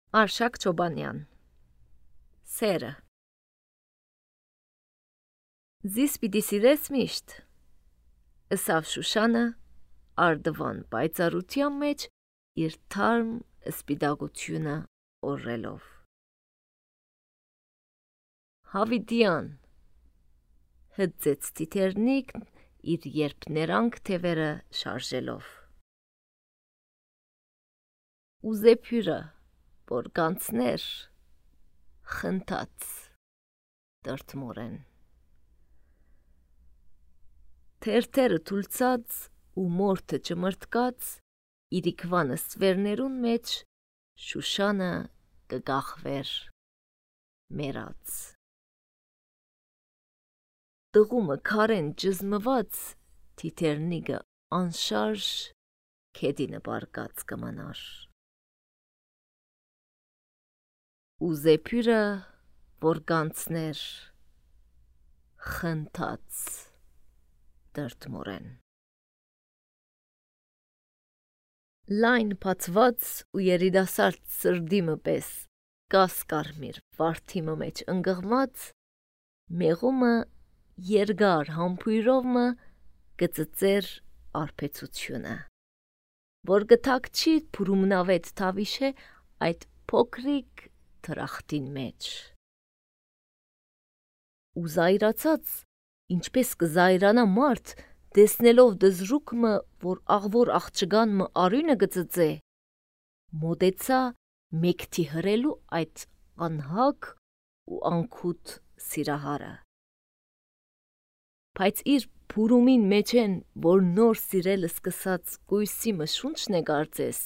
Արշակ Չոբանյան Սերը Զիս պիտի սիրես միշտ, ըսավ Շուշանը արդվան պայծառության մեջ իր թարմ սպիտակությունը օրելով։ Հավիտյան հծեց Տիթեռնիկն իր երբներանգ թևերը շարժելով։ Ու Զեփյուրը, որ կանցներ, խնդաց տրտմորեն։ Թերթերը թուլցած ու մորթը ճմրթկած, իրիկվանը ստվերներուն մեջ Շուշանը կգախվեր մերած։ Տղումը քարեն ճզմված, Տիթեռնիկը անշարժ քեդինը բարկած կմնար։ Ու Զեփյուրը, որ կանցներ, խնդաց տրտմորեն։ Լայն փաթված ու երիտասարդ սրդիմը պես կաս կարմիր վարդիմը մեջ ընկղված, մեղումը երկար համբույրովը գծծեր արբեցությունը, որ գթակչի փուրումնավետ թավիշե այդ փոքրիկ թրախտին մեջ։ Ու զայրացած, ինչպես կզայրանա մարդ, տեսնելով դզրուկը, որ աղվոր աղջգանմը արյունը գծծե, մոտեցա մեկթի հրելու այդ անհակ ու անքուտ սիրահարը։ Բայց իր փուրումին մեջեն, որ նոր սիրել սկսած կույսի մշունչն է կարծես,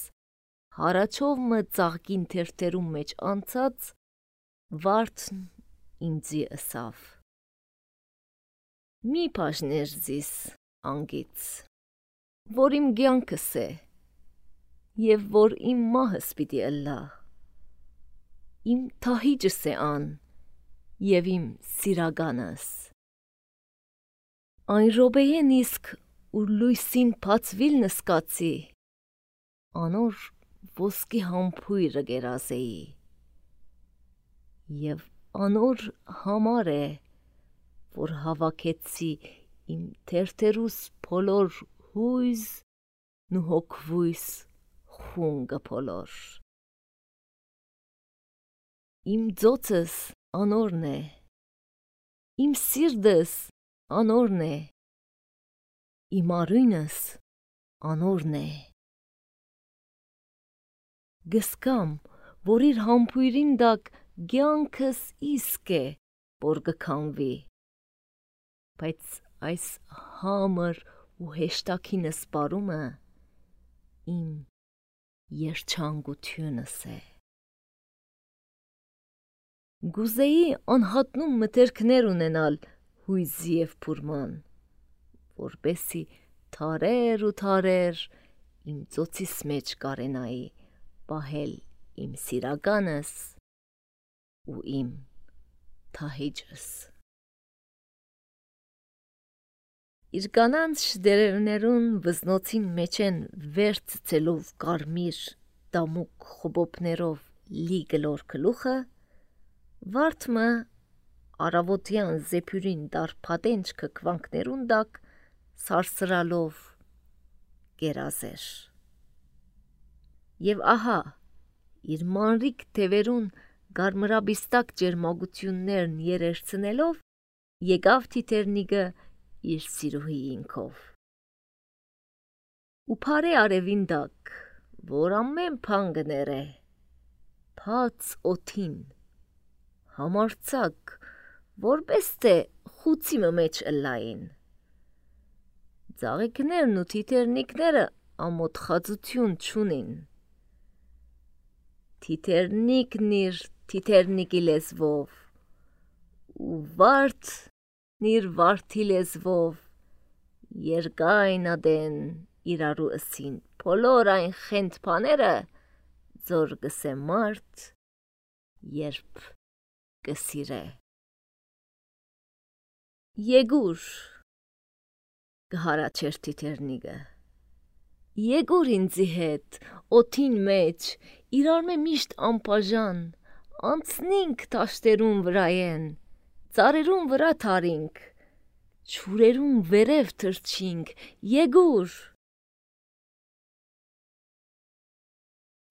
հարաչովը ծաղկին թերթերում մեջ անցած, վարդն ինձի ըսավ. Մի բաժներ զիս անգից, որ իմ կյանքս է, և որ իմ մահս պիտի ըլլա, իմ թահիճս է ան, և իմ սիրականս։ Այն րոպեեն իսկ, ուր լույսին բացվիլ նսկացի, անոր ոսկի համբույրը կերազեի, և անոր համար է, որ հավաքեցի իմ թերթերուս բոլոր հույզն ու հոգվույս խունգը բոլոր։ Իմ ձոցս անորն է, իմ սիրտս անորն է, իմ արյունս անորն է։ Գսկամ, որ իր համբույրին տակ կյանքս իսկ է, որ կքանվի, բայց այս համր ու հեշտաքին սպարումը իմ երջանկությունս է։ Գուզեի անհատնում մտերքներ ունենալ հույզի և փուրման, որպեսի թարեր ու թարեր իմ ծոցիս մեջ կարենայի պահել իմ սիրականս ու իմ թահիճս։ Իր կանանց շդերերներուն վզնոցին մեջեն վեր ցցելով կարմիր դամուկ խոբոբներով լի գլոր գլուխը, վարդմը արավոտյան Զեփյուրին դարփատենչ քքվանքներուն տակ սարսրալով գերազեր։ Եվ ահա, իր մանրիկ թևերուն գարմրաբիստակ ջերմագություններն երերցնելով, եկավ Տիթեռնիկը իր սիրուհիինքով։ Ու փարե արևին տակ, որ ամեն բան կներե, բաց օդին, համարձակ, որպես թե խուցիմը մեջ ըլլային։ Ծաղիկներն ու թիթեռնիկները ամոթխածություն չունին։ Տիթեռնիկն իր թիթեռնիկի լեզվով, ու վարդն իր վարդի լեզվով, երկայն իրարու ըսին բոլոր այն խենթ բաները, ձոր գսե մարդ, երբ կսիրե։ Եգուր, կհարաչեր Տիթեռնիկը, Եկուր ինձի հետ, օթին մեջ, իրար մե միշտ անպաժան, անցնինք տաշտերուն վրայեն, ծարերուն վրա թարինք, չուրերուն վերև թրջինք, եկուր։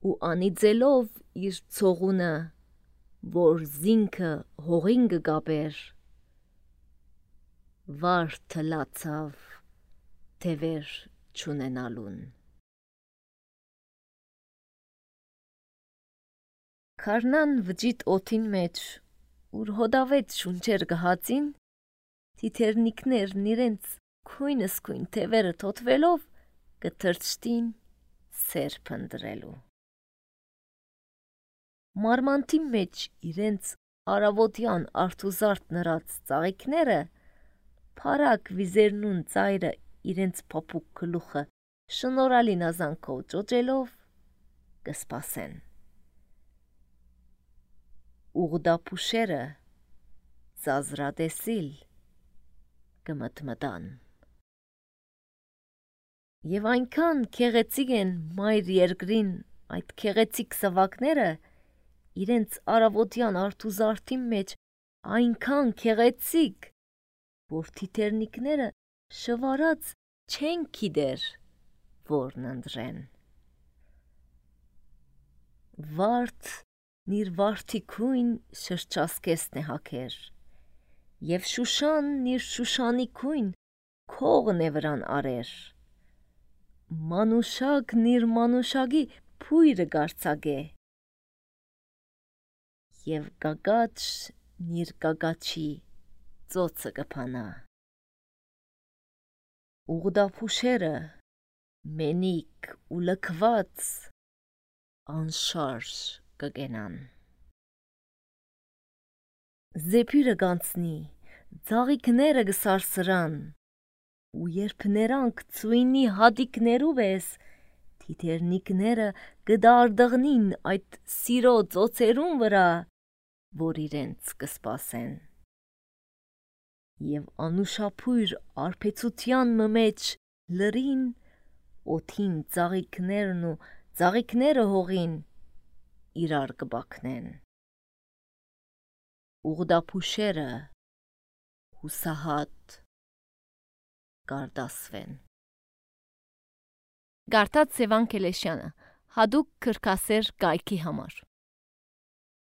Ու անիծելով իր ցողունը, որ զինքը հողին կգաբեր, վար թլացավ թևեր չունենալուն։ Քարնան վճիտ օթին մեջ, ուր հոդավեց շունչեր գհածին, թիթերնիկներն իրենց քույնսկույն թևերը թոթվելով կթրջտին սեր փնտրելու։ Մարմանտի մեջ իրենց արավոտյան արդուզարդ նրած ծաղիկները, փարակ վիզերնուն ծայրը իրենց փափուկ գլուխը շնորհալի նազանքով ճոճելով կսպասեն։ Ուղդափուշերը ծազրադեսիլ կմտմտան։ Եվ այնքան քեղեցիկ են մայր երկրին այդ քեղեցիկ սավակները, իրենց արավոտյան արդուզարդի մեջ այնքան քեղեցիկ, որ թիթերնիկները շվարած չեն գիտեր, որն ընտրեն։ Վարդն իր վարդիկույն շրջասկեսն է հագեր, և Շուշանն իր շուշանիկույն քողն է վրան արեր, մանուշակն իր մանուշակի փույրը գարցագե, և գագաչն իր գագաչի ծոցը կփանա։ Ուղդափուշերը մենիկ ու լքված անշարժ կգենան։ Զեփիրը գանցնի, ծաղիկները կսարսրան, ու երբ նրանք ծույնի հատիկներու պես, թիթերնիկները կդարդղնին այդ սիրո ծոցերուն վրա, որ իրենց կսպասեն։ Եվ անուշափույր արբեցության մեջ լրին օթին ծաղիկներն ու ծաղիկները հողին իրար կբաքնեն։ Ուղդափուշերը հուսահատ կարդասվեն։ Գարտած Սևան Քելեշյանը, հadoop քրքասեր կայքի համար։